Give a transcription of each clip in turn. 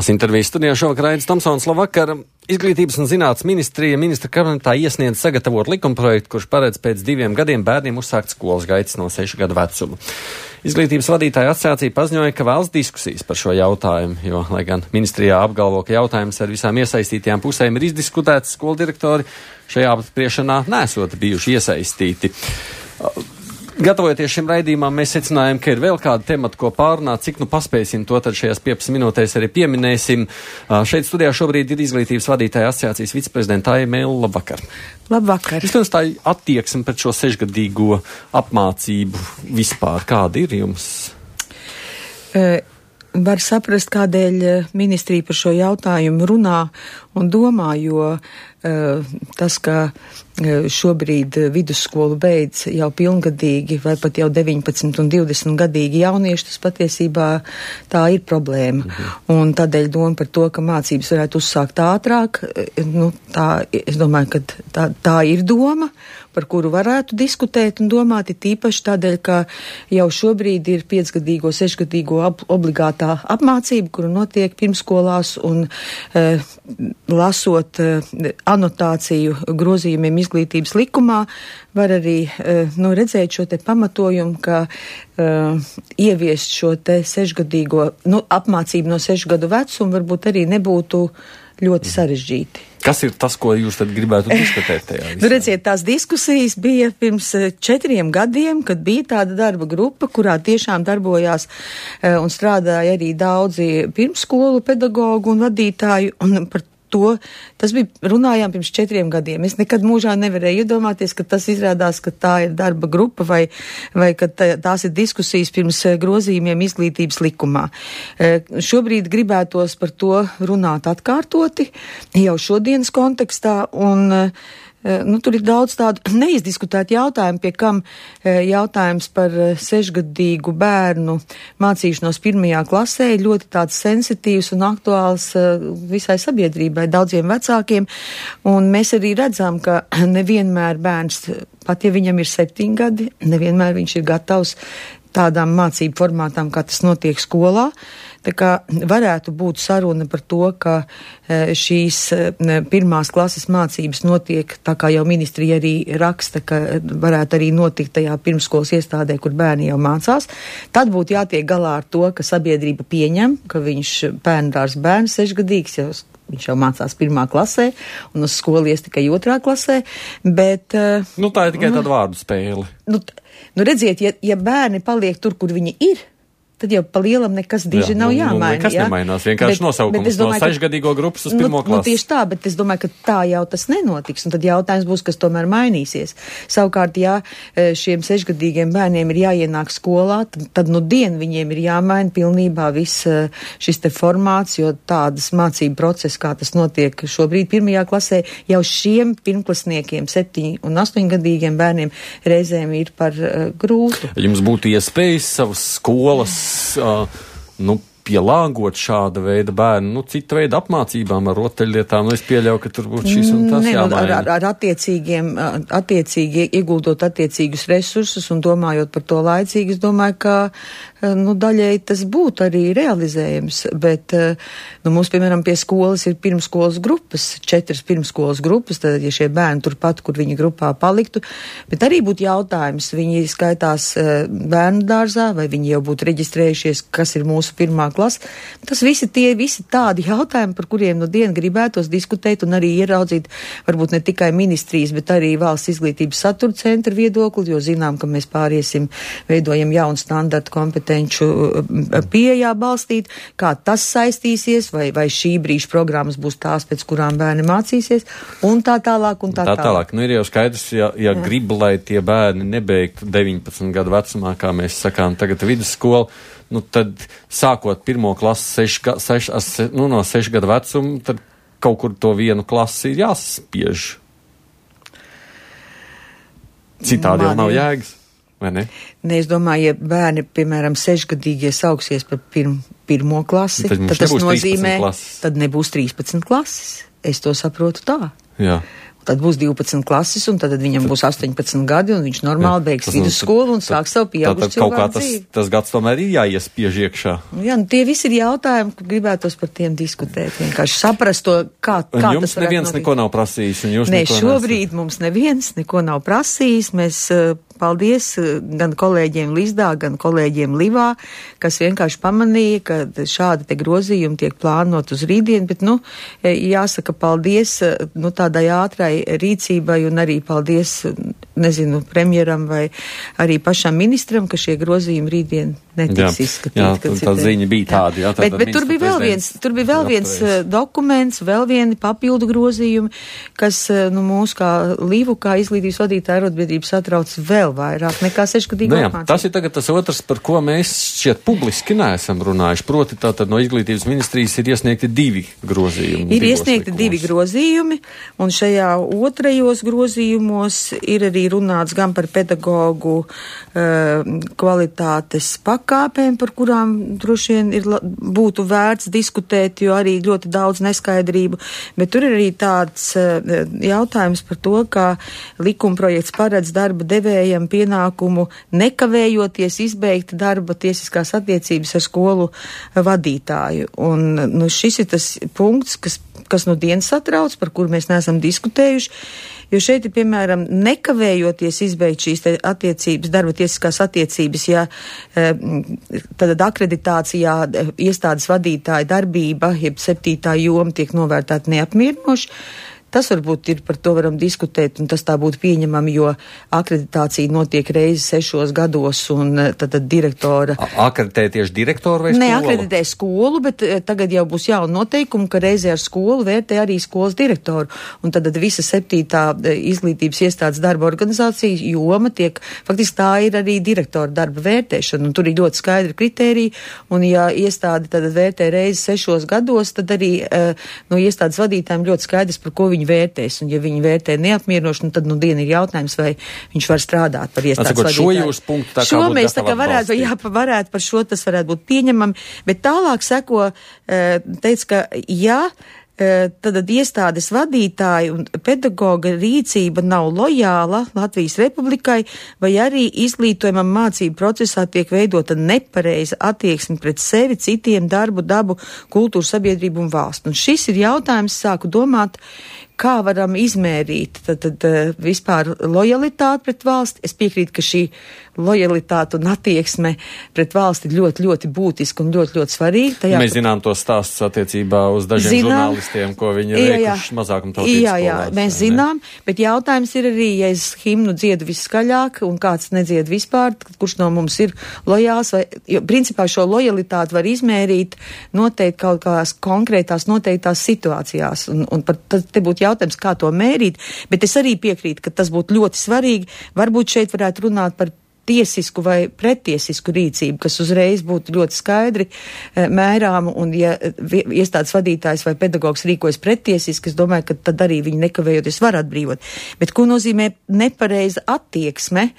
Tās intervijas studijā šovakar Aidis Tomsons. Labvakar. Izglītības un zinātnes ministra kabinetā iesniedz sagatavot likumprojektu, kurš paredz pēc 2 gadiem bērniem uzsākt skolas gaitas no 6 gadu vecuma. Izglītības vadītāja asociācija paziņoja, ka vēlas diskusijas par šo jautājumu, jo, lai gan ministrijā apgalvo, ka jautājums ar visām iesaistītajām pusēm ir izdiskutēts, skolu direktori šajā apspriešanā nesot bijuši iesaistīti. Gatavojoties šim raidījumam, mēs secinājām, ka ir vēl kāda temata, ko pārunāt, cik nu paspēsim, to tad šajās 15 minūtēs arī pieminēsim. Šeit studijā šobrīd ir izglītības vadītāja asociācijas viceprezidenta Aija Mēle. Labvakar. Labvakar. Vispirms tā attieksme pret šo 6-gadīgo apmācību vispār. Kāda ir jums? Var saprast, kādēļ ministrija par šo jautājumu runā un domā, jo tas, ka šobrīd vidusskolu beidz jau pilngadīgi vai pat jau 19 un 20 gadīgi jaunieši, tas patiesībā tā ir problēma. Un tādēļ doma par to, ka mācības varētu uzsākt ātrāk, es domāju, ka tā ir doma, par kuru varētu diskutēt un domāt, ir tīpaši tādēļ, ka jau šobrīd ir 5-gadīgo, 6-gadīgo obligātā apmācība, kura notiek pirmskolās un lasot anotāciju grozījumiem izglītības likumā, var arī redzēt šo te pamatojumu, ka ieviest šo te 6-gadīgo apmācību no 6 gadu vecuma varbūt arī nebūtu ļoti sarežģīti. Kas ir tas, ko jūs tad gribētu diskutēt tajā visā? Redziet, tās diskusijas bija pirms 4 gadiem, kad bija tāda darba grupa, kurā tiešām darbojās un strādāja arī daudzi pirmsskolu pedagogu un vadītāju, un par to, tas bija, runājām pirms 4 gadiem. Es nekad mūžā nevarēju iedomāties, ka tas izrādās, ka tā ir darba grupa vai ka tās ir diskusijas pirms grozījumiem izglītības likumā. Šobrīd gribētos par to runāt atkārtoti, jau šodienas kontekstā, un tur ir daudz tādu neizdiskutētu jautājumu, pie kam jautājums par 6-gadīgu bērnu mācīšanos 1. klasē ir ļoti tāds sensitīvs un aktuāls visai sabiedrībai, daudziem vecākiem, un mēs arī redzam, ka nevienmēr bērns, pat ja viņam ir 7 gadi, nevienmēr viņš ir gatavs tādām mācību formātām, kā tas notiek skolā. Tā kā varētu būt saruna par to, ka šīs 1. klases mācības notiek, tā kā jau ministrija arī raksta, ka varētu arī notikt tajā pirmskolas iestādē, kur bērni jau mācās. Tad būtu jātiek galā ar to, ka sabiedrība pieņem, ka viņš bērndārs bērns 6-gadīgs, viņš jau mācās 1. klasē un uz skolu ies tikai 2. klasē, bet... tā ir tikai tāda vārdu spēle. Redziet, ja bērni paliek tur, kur viņi ir, tad jau pa lielam nekas diži nav jāmaina. Nekas nemainās, vienkārši nosaukums no 6-gadīgo grupas uz 1. klasi. Tieši tā, bet es domāju, ka tā jau tas nenotiks, un tad jautājums būs, kas tomēr mainīsies. Savukārt, ja šiem 6-gadīgiem bērniem ir jāienāk skolā, tad dien viņiem ir jāmaina pilnībā viss šis te formāts, jo tādas mācību procesi, kā tas notiek šobrīd 1. klasē, jau šiem pirmklasniekiem, 7 un 8-gadīgiem bērniem reizēm ir par grūtu. Jums būtu iespējas savas skolas pielāgot šāda veida bērnu, cita veida apmācībām ar rotaļlietām, es pieļauju, ka tur būtu šīs un tas jāmaina. Ar attiecīgi ieguldot attiecīgus resursus un domājot par to laicīgi, es domāju, ka daļēji tas būtu arī realizējams, bet mums, piemēram, pie skolas ir pirmskolas grupas, 4 pirmskolas grupas, tad, ja šie bērni turpat, kur viņi grupā paliktu, bet arī būtu jautājums, viņi skaitās bērnu dārzā, vai viņi jau būtu reģistrējušies, kas ir mūsu 1. klase. Tas visi tādi jautājumi, par kuriem dien gribētos diskutēt un arī ieraudzīt, varbūt ne tikai ministrijas, bet arī valsts izglītības satura centra viedokli, jo zinām, ka mēs veidojam jaunu standartu kompetenču pieejā balstīt, kā tas saistīsies, vai šī brīža programmas būs tās, pēc kurām bērni mācīsies, un tā tālāk, un tā tālāk. Ir jau skaidrs, ja grib, lai tie bērni nebeigtu 19 gadu vecumā, kā mēs sakām tagad vidusskolu, tad sākot 1. klasi no 6 gadu vecuma, tad kaut kur to 1 klasi ir jāsaspiež. Citādi jau nav jēgas. Vai ne? Es domāju, ja bērni, piemēram, 6-gadīgie sauksies par 1. klasi, tad tas nozīmē, tad nebūs 13 klases. Es to saprotu tā. Jā. Tad būs 12 klases, un tad viņam būs 18 gadi, un viņš normāli beigs vidusskolu un sāks savu pieaugušu cilvēku dzīvi. Tas gads tomēr ir jāiespiež iekšā. Jā, tie visi ir jautājumi, kur gribētos par tiem diskutēt. Vienkārši saprast to, kā tas varētu jums neviens neko nav prasījis, un jūs neko šobrīd mums neviens neko nav prasījis. Mēs paldies gan kolēģiem Lizdā, gan kolēģiem Livā, kas vienkārši pamanīja, ka šādi te grozījumi tiek plānot uz rītdienu, bet, jāsaka paldies, tādai ātrai rīcībai un arī paldies, premjeram vai arī pašam ministram, ka šie grozījumi rītdien netiks izskatīti. Jā, tā ziņa bija tāda. Jā, bet tur bija vēl viens dokuments, vēl vieni papildu grozījumi, kas, mūs kā Livu, kā izglītības vadītāja arotbiedrības satrauc vēl vairāk nekā 6-gadīgu apmācību. Tas ir tagad tas otrs, par ko mēs šķiet publiski neesam runājuši. Proti, tātad no izglītības ministrijas ir iesniegti 2 grozījumi. Ir iesniegti 2 grozījumi, un šajā otrajos grozījumos ir arī runāts gan par pedagogu kvalitātes pakāpēm, par kurām droši vien būtu vērts diskutēt, jo arī ļoti daudz neskaidrību, bet tur ir arī tāds jautājums par to, kā likumprojekts paredz darba devējam pienākumu nekavējoties izbeigt darba tiesiskās attiecības ar skolu vadītāju. Un šis ir tas punkts, kas no dienas satrauc, par kuru mēs neesam diskutējuši, jo šeit ir, piemēram, nekavējoties izbeigt šīs attiecības, darba tiesiskās attiecības, ja tad akreditācijā iestādes vadītāja darbība, jeb 7. joma tiek novērtēta neapmierinoši. Tas varbūt ir, par to varam diskutēt, un tas tā būtu pieņemami, jo akreditācija notiek reizi 6 gados, un tad direktora... Akreditē tieši direktoru vai skolu? Neakreditē skolu, bet tagad jau būs jauna noteikuma, ka reizē ar skolu vērtē arī skolas direktoru, un tad visa 7. izglītības iestādes darba organizācija joma tiek, faktiski tā ir arī direktora darba vērtēšana, un tur ir ļoti skaidri kritēriji, un ja iestāde tad vērtē reizi 6 gados, tad arī no iestādes vadītājiem ļoti skaidrs, par ko viņi vērtēs, un ja viņi vērtē neapmierinoši, tad diena ir jautājums, vai viņš var strādāt par iestādes vadītāju. Šo jūs punktu tā kā būtu mēs tā kā varētu par šo tas varētu būt pieņemami, bet tālāk seko, teica, ka tad iestādes vadītāja un pedagoga rīcība nav lojāla Latvijas Republikai, vai arī izglītojumam mācību procesā tiek veidota nepareiza attieksme pret sevi, citiem, darbu, dabu, kultūru, sabiedrību un valstu. Un šis ir jautājums, sāku domāt, kā varam izmērīt tad vispār lojalitāti pret valsti. Es piekrītu, ka šī lojalitāte un attieksme pret valsti ir ļoti, ļoti būtiska un ļoti, ļoti svarīga. Mēs zinām tos stāstus attiecībā uz dažiem žurnālistiem, ko viņi ir veikuši mazākumtautības skolās. Jā, mēs zinām, bet jautājums ir arī, ja es himnu dziedu viskaļāk un kāds nedzied vispār, kurš no mums ir lojāls, vai, jo principā šo lojalitāti var izmērīt noteikti kaut kādās konkrētās noteiktās situācijās, un par te būtu jautājums, kā to mērīt, bet es arī piekrītu, ka tas būtu ļoti svarīgi. Varbūt šeit varētu runāt par tiesisku vai pretiesisku rīcību, kas uzreiz būtu ļoti skaidri mērām, un ja iestādes vadītājs vai pedagogs rīkojas pretiesiski, es domāju, ka tad arī viņi nekavējoties var atbrīvot. Bet ko nozīmē nepareiza attieksme,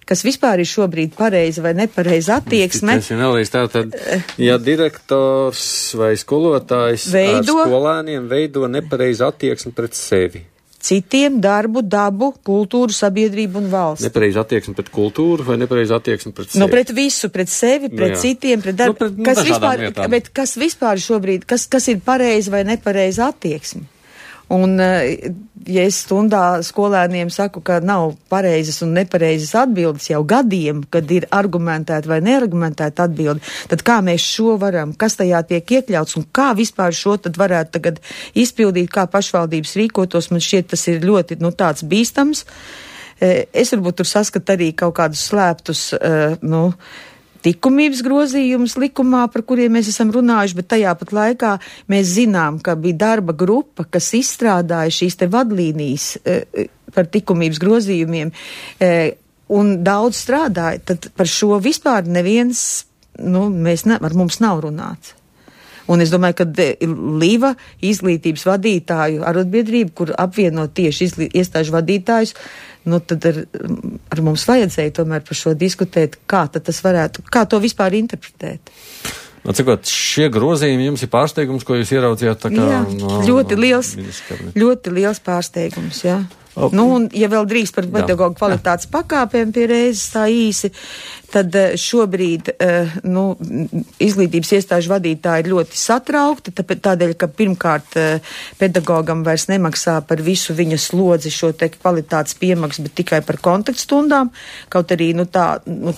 kas vispār ir šobrīd pareiza vai nepareiza attieksme? Tas ir nelīdz tātad, ja direktors vai skolotājs ar skolēniem veido nepareizu attieksmi pret sevi. Citiem, darbu, dabu, kultūru, sabiedrību un valsts. Nepareiza attieksme pret kultūru vai nepareiza attieksme pret sevi? Pret visu, pret sevi, pret citiem, pret darbu. Kas vispār šobrīd, kas ir pareiza vai nepareiza attieksme? Un, ja es stundā skolēniem saku, ka nav pareizas un nepareizas atbildes jau gadiem, kad ir argumentēta vai neargumentēta atbilde, tad kā mēs šo varam, kas tajā tiek iekļauts un kā vispār šo tad varētu tagad izpildīt, kā pašvaldības rīkotos, man šķiet tas ir ļoti, tāds bīstams. Es varbūt tur saskatu arī kaut kādus slēptus, likumības grozījumus likumā, par kuriem mēs esam runājuši, bet tajā pat laikā mēs zinām, ka bija darba grupa, kas izstrādāja šīs te vadlīnijas par likumības grozījumiem un daudz strādāja, tad par šo vispār neviens, ar mums nav runāts. Un es domāju, ka Liva izglītības vadītāju arotbiedrība, kur apvieno tieši iestāžu vadītājus, tad ar mums vajadzēja tomēr par šo diskutēt, kā tad tas varētu, kā to vispār interpretēt. Cikot, šie grozījumi jums ir pārsteigums, ko jūs ieraudzījāt tā kā? Jā, ļoti liels pārsteigums, jā. Nu, un, ja vēl drīz par pedagoģu kvalitātes pakāpēm pie reizes tā īsi, tad šobrīd, izglītības iestāžu vadītāji ir ļoti satraukti, tādēļ, ka pirmkārt pedagogam vairs nemaksā par visu viņa slodzi šo te kvalitātes piemaksu, bet tikai par kontaktstundām, kaut arī,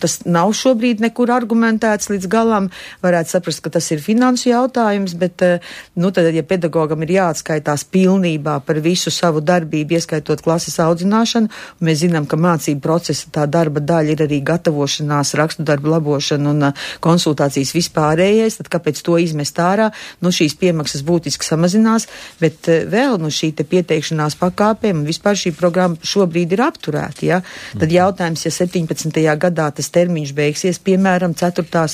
tas nav šobrīd nekur argumentēts līdz galam, varētu saprast, ka tas ir finansu jautājums, bet, tad, ja pedagogam ir jāatskaitās pilnībā par visu savu darbību, ieskaitot klases audzināšanu, un mēs zinām, ka mācību procesa tā darba daļa ir arī gatavošanās, rakstu darbu labošana un konsultācijas vispārējais, tad kāpēc to izmest ārā? Šīs piemaksas būtiski samazinās, bet vēl šī te pieteikšanās pakāpēm un vispār šī programma šobrīd ir apturēta, ja? Tad jautājums, ja 17. gadā tas termiņš beigsies, piemēram, 4.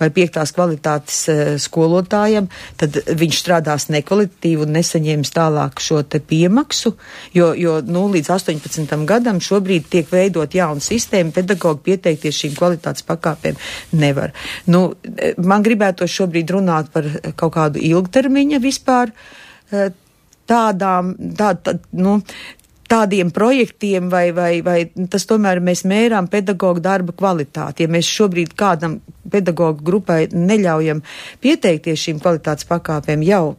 vai 5. kvalitātes skolotājam, tad viņš strādās nekvalitatīvi un nesaņems tālāk šo te piemaksu, jo līdz 18. gadam šobrīd tiek veidot jauna sistēma, pedagogi pieteikties šīm kvalitātes pakāpēm nevar. Man gribētos šobrīd runāt par kaut kādu ilgtermiņa vispār tādiem projektiem vai tas tomēr mēs mērām pedagoģu darba kvalitāti. Ja mēs šobrīd kādam pedagoģu grupai neļaujam pieteikties šīm kvalitātes pakāpēm jau,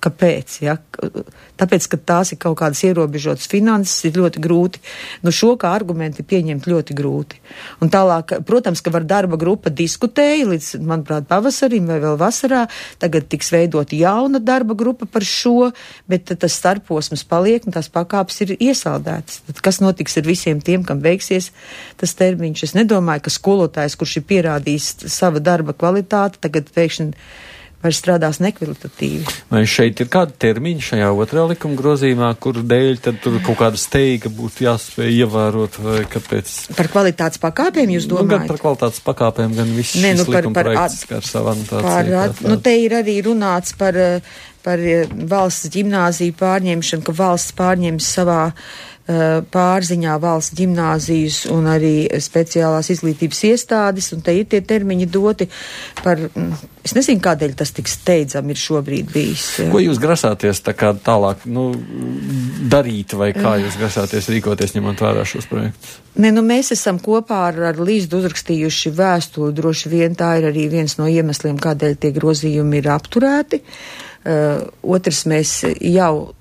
kāpēc, ja? Tāpēc, ka tās ir kaut kādas ierobežotas finanses, ir ļoti grūti. Šo kā argumenti pieņemt ļoti grūti. Un tālāk, protams, ka var darba grupa diskutēja līdz, manuprāt, pavasarim vai vēl vasarā, tagad tiks veidot jauna darba grupa par šo, bet tas starposms paliek un tās pakāpes ir iesaldētas. Tad kas notiks ar visiem tiem, kam beigsies tas termiņš? Es nedomāju, ka skolotājs, kurš ir pierādījis sava darba kvalitāti, tagad pēkšņi vairs strādās nekvalitatīvi. Vai šeit ir kāda termiņa šajā otrā likuma grozījumā, kur dēļ tad tur kaut kāda steiga būtu jāspēj ievērot, vai kāpēc? Par kvalitātes pakāpēm jūs domājat? Gan par kvalitātes pakāpēm, gan viss šis likuma projekts ar savu anotāciju. Te ir arī runāts par valsts ģimnāziju pārņemšanu, ka valsts pārņems savā pārziņā valsts ģimnāzijas un arī speciālās izglītības iestādes, un te ir tie termiņi doti par, es nezinu, kādēļ tas tik steidzam ir šobrīd bijis. Ko jūs grasāties tā kā tālāk, darīt, vai kā jūs grasāties rīkoties, ņemot vērā šos projektus? Mēs esam kopā ar Līzdu uzrakstījuši vēstuli, droši vien tā ir arī viens no iemesliem, kādēļ tie grozījumi ir apturēti. Otrs, mēs jau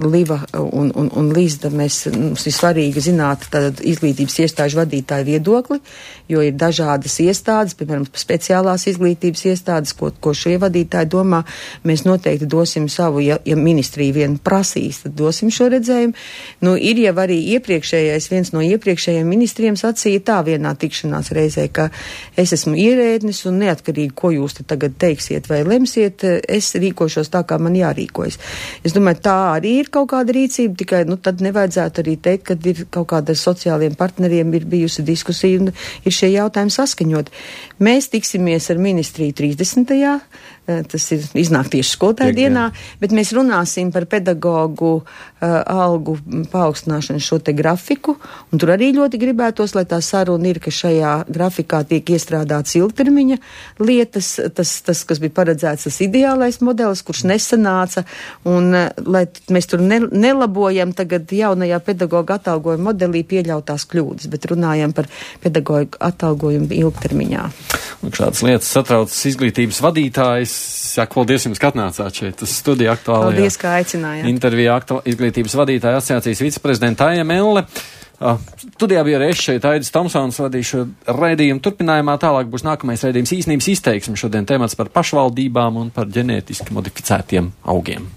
Liva un Līzda, mums ir svarīgi zināt tad izglītības iestāžu vadītāju viedokli, jo ir dažādas iestādes, piemēram, speciālās izglītības iestādes, ko šie vadītāji domā. Mēs noteikti dosim savu, ja ministrija vien prasīs, tad dosim šo redzējumu. Ir jau arī viens no iepriekšējiem ministriem sacīja tā vienā tikšanās reizē, ka es esmu ierēdnis un neatkarīgi, ko jūs te tagad teiksiet vai lemsiet, es rīkošos tā, kā man jārīkojas. Es domāju, tā arī ir kaut kāda rīcība, tikai tad nevajadzētu arī teikt, ka ir kaut kāda ar sociāliem partneriem ir bijusi diskusija un ir šie jautājumi saskaņot. Mēs tiksimies ar ministriju 30. Tas ir iznāk tieši skolotāju dienā, bet mēs runāsim par pedagoģu algu paaugstināšanu šo te grafiku, un tur arī ļoti gribētos, lai tā saruna ir, ka šajā grafikā tiek iestrādāts ilgtermiņa lietas, tas kas bija paredzēts, tas ideālais modelis, kurš nesanāca, un lai mēs tur nelabojam tagad jaunajā pedagoģa atalgojuma modelī pieļautās kļūdas, bet runājam par pedagoģu atalgojumu ilgtermiņā. Un šādas lietas satrauc izglītības vadītājs. Saku, paldies jums, ka atnācāt šeit uz studiju aktuālajā. Paldies, ka aicinājāt. Intervijā izglītības vadītāja asociācijas viceprezidenta Aija Melle. Studijā bija arī es šeit, Aidis Tomsons, vadīšu raidījumu. Turpinājumā tālāk būs nākamais raidījums īstenības izteiksme. Šodien temats par pašvaldībām un par ģenētiski modificētiem augiem.